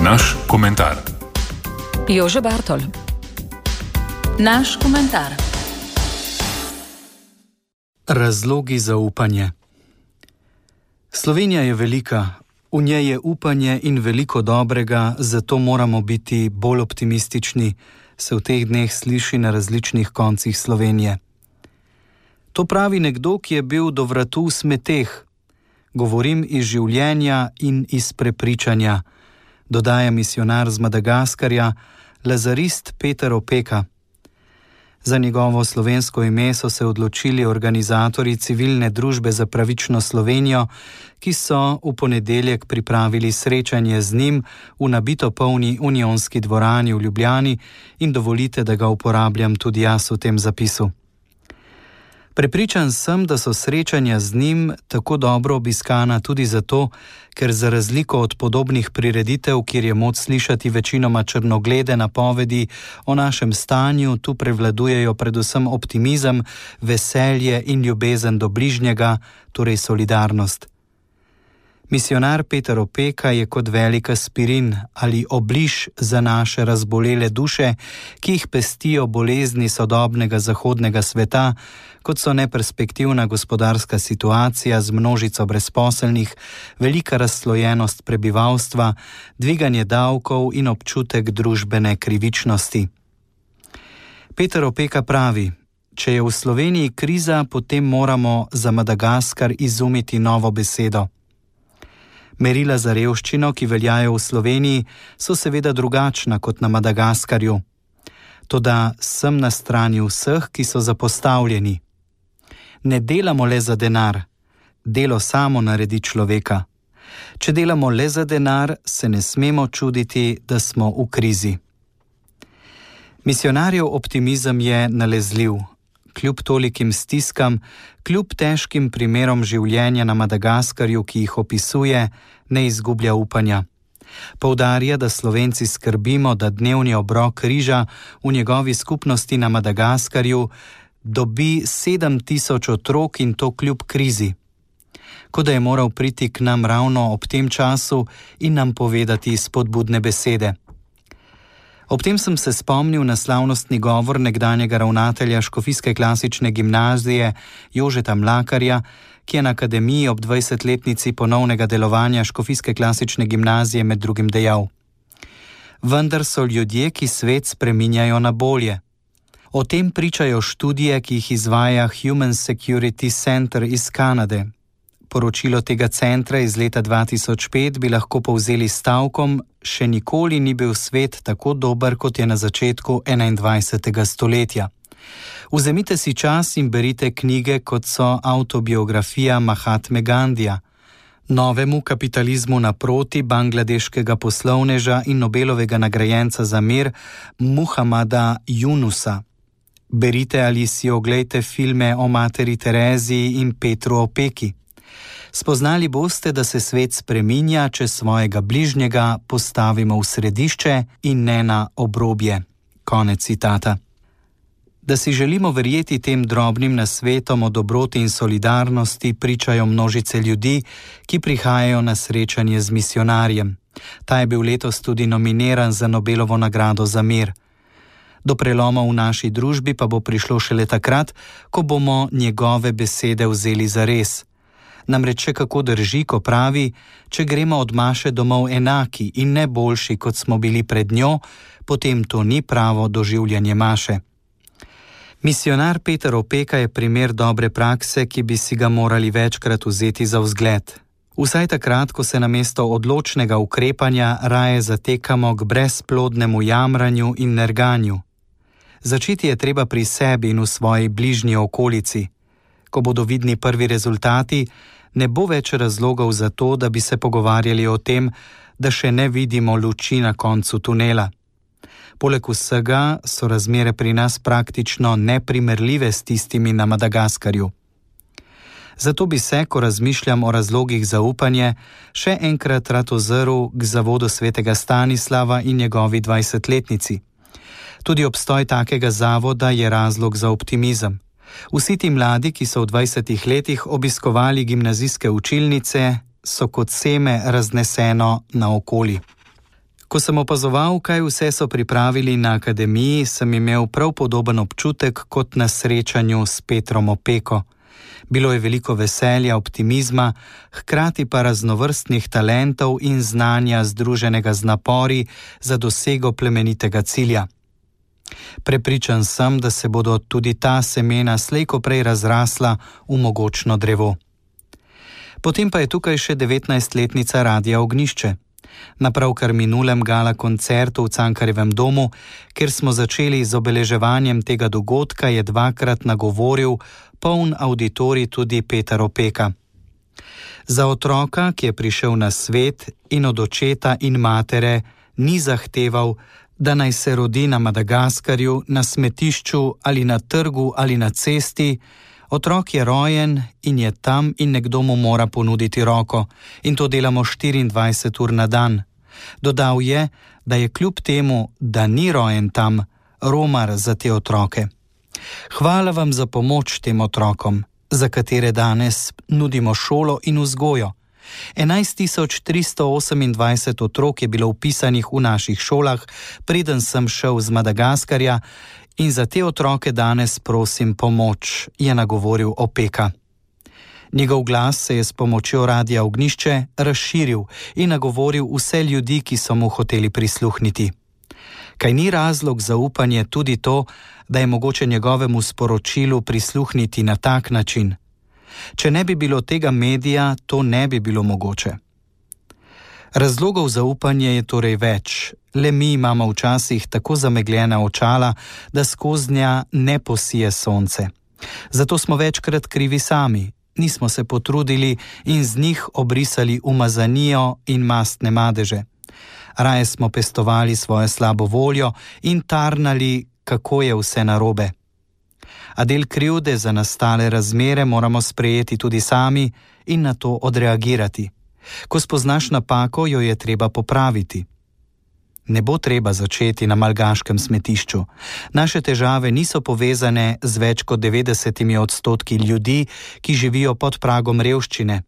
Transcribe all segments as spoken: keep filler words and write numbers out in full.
Naš komentar. Jože Bartol. Naš komentar. Razlogi za upanje. Slovenija je velika, v njej je upanje in veliko dobrega, zato moramo biti bolj optimistični, se v teh dneh sliši na različnih koncih Slovenije. To pravi nekdo, ki je bil do vratu v smeteh. Govorim iz življenja in iz prepričanja, dodaja misijonar z Madagaskarja, lazarist Peter Opeka. Za njegovo slovensko ime so se odločili organizatorji Civilne družbe za pravično Slovenijo, ki so v ponedeljek pripravili srečanje z njim v nabito polni Unionski dvorani v Ljubljani in dovolite, da ga uporabljam tudi jaz v tem zapisu. Prepričan sem, da so srečanja z njim tako dobro obiskana tudi zato, ker za razliko od podobnih prireditev, kjer je moč slišati večinoma črnoglede napovedi o našem stanju, tu prevladujejo predvsem optimizem, veselje in ljubezen do bližnjega, torej solidarnost. Misijonar Peter Opeka je kot velik aspirin ali obliž za naše razbolele duše, ki jih pestijo bolezni sodobnega zahodnega sveta, kot so neperspektivna gospodarska situacija z množico brezposelnih, velika razslojenost prebivalstva, dviganje davkov in občutek družbene krivičnosti. Peter Opeka pravi: če je v Sloveniji kriza, potem moramo za Madagaskar izumiti novo besedo. Merila za revščino, ki veljajo v Sloveniji, so seveda drugačna kot na Madagaskarju. Toda sem na strani vseh, ki so zapostavljeni. Ne delamo le za denar, delo samo naredi človeka. Če delamo le za denar, se ne smemo čuditi, da smo v krizi. Misijonarjev optimizem je nalezljiv. Kljub tolikim stiskam, kljub težkim primerom življenja na Madagaskarju, ki jih opisuje, ne izgublja upanja. Poudarja, da Slovenci skrbimo, da dnevni obrok riža v njegovi skupnosti na Madagaskarju dobi sedem tisoč otrok in to kljub krizi. Kot da je moral priti k nam ravno ob tem času in nam povedati spodbudne besede. Ob tem sem se spomnil na slavnostni govor nekdanjega ravnatelja Škofijske klasične gimnazije Jožeta Mlakarja, ki je na akademiji ob dvajsetletnici ponovnega delovanja Škofijske klasične gimnazije med drugim dejal: vendar so ljudje, ki svet spreminjajo na bolje. O tem pričajo študije, ki jih izvaja Human Security Center iz Kanade. Poročilo tega centra iz leta dva tisoč pet bi lahko povzeli stavkom: še nikoli ni bil svet tako dober, kot je na začetku enaindvajsetega stoletja. Vzemite si čas in berite knjige, kot so Avtobiografija Mahatme Gandija, Novemu kapitalizmu naproti bangladeškega poslovneža in Nobelovega nagrajenca za mir Muhamada Yunusa. Berite ali si oglejte filme o materi Tereziji in Petru Opeki. Spoznali boste, da se svet spreminja, če svojega bližnjega postavimo v središče in ne na obrobje. Konec citata. Da si želimo verjeti tem drobnim nasvetom o dobroti in solidarnosti, pričajo množice ljudi, ki prihajajo na srečanje z misijonarjem. Ta je bil letos tudi nominiran za Nobelovo nagrado za mir. Do preloma v naši družbi pa bo prišlo šele takrat, ko bomo njegove besede vzeli za res. Namreč še kako drži, ko pravi: če gremo od maše domov enaki in ne boljši, kot smo bili pred njo, potem to ni pravo doživljanje maše. Misijonar Peter Opeka je primer dobre prakse, ki bi si ga morali večkrat vzeti za vzgled. Vsaj takrat, ko se namesto odločnega ukrepanja raje zatekamo k brezplodnemu jamranju in nerganju. Začeti je treba pri sebi in v svoji bližnji okolici. Ko bodo vidni prvi rezultati, ne bo več razlogov za to, da bi se pogovarjali o tem, da še ne vidimo luči na koncu tunela. Poleg vsega so razmere pri nas praktično neprimerljive s tistimi na Madagaskarju. Zato bi se, ko razmišljam o razlogih za upanje, še enkrat rad ozrl k zavodu svetega Stanislava in njegovi dvajsetletnici. Tudi obstoj takega zavoda je razlog za optimizem. Vsi ti mladi, ki so v dvajsetih letih obiskovali gimnazijske učilnice, so kot seme razneseno naokoli. Ko sem opazoval, kaj vse so pripravili na akademiji, sem imel prav podoben občutek kot na srečanju s Petrom Opeko. Bilo je veliko veselja, optimizma, hkrati pa raznovrstnih talentov in znanja združenega z napori za dosego plemenitega cilja. Prepričan sem, da se bodo tudi ta semena slej ko prej razrasla v mogočno drevo. Potem pa je tukaj še devetnajstletnica Radia Ognjišče. Na pravkar minulem gala koncertu v Cankarjevem domu, kjer smo začeli z obeleževanjem tega dogodka, je dvakrat nagovoril poln auditorij tudi Peter Opeka. Za otroka, ki je prišel na svet in od očeta in matere ni zahteval, da naj se rodi na Madagaskarju, na smetišču ali na trgu ali na cesti. Otrok je rojen in je tam in nekdo mu mora ponuditi roko in to delamo štiriindvajset ur na dan. Dodal je, da je kljub temu, da ni rojen tam, romar za te otroke. Hvala vam za pomoč tem otrokom, za katere danes nudimo šolo in vzgojo. enajst tisoč tristo osemindvajset otrok je bilo vpisanih v naših šolah, preden sem šel z Madagaskarja, in za te otroke danes prosim pomoč, je nagovoril Opeka. Njegov glas se je s pomočjo Radia Ognjišče razširil in nagovoril vse ljudi, ki so mu hoteli prisluhniti. Kaj ni razlog za upanje tudi to, da je mogoče njegovemu sporočilu prisluhniti na tak način? Če ne bi bilo tega medija, to ne bi bilo mogoče. Razlogov za upanje je torej več, le mi imamo včasih tako zamegljena očala, da skoznja ne posije sonce. Zato smo večkrat krivi sami, nismo se potrudili in z njih obrisali umazanijo in mastne madeže. Raje smo pestovali svojo slabo voljo in tarnali, kako je vse narobe. A del krivde za nastale razmere moramo sprejeti tudi sami in na to odreagirati. Ko spoznaš napako, jo je treba popraviti. Ne bo treba začeti na malgaškem smetišču. Naše težave niso povezane z več kot devetdesetimi odstotki ljudi, ki živijo pod pragom revščine,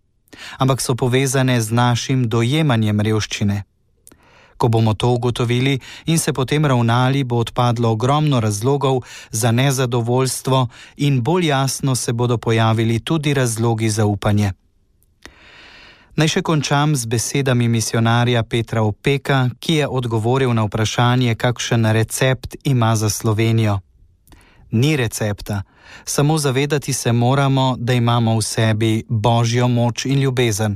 ampak so povezane z našim dojemanjem revščine. Ko bomo to ugotovili in se potem ravnali, bo odpadlo ogromno razlogov za nezadovoljstvo in bolj jasno se bodo pojavili tudi razlogi za upanje. Naj še končam z besedami misionarja Petra Opeka, ki je odgovoril na vprašanje, kakšen recept ima za Slovenijo. Ni recepta, samo zavedati se moramo, da imamo v sebi Božjo moč in ljubezen.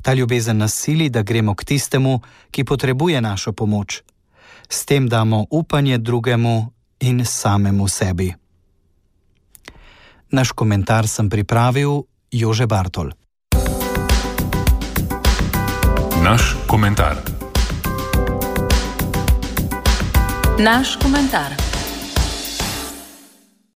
Ta ljubezen nas sili, da gremo k tistemu, ki potrebuje našo pomoč. S tem damo upanje drugemu in samemu sebi. Naš komentar sem pripravil Jože Bartol. Naš komentar. Naš komentar.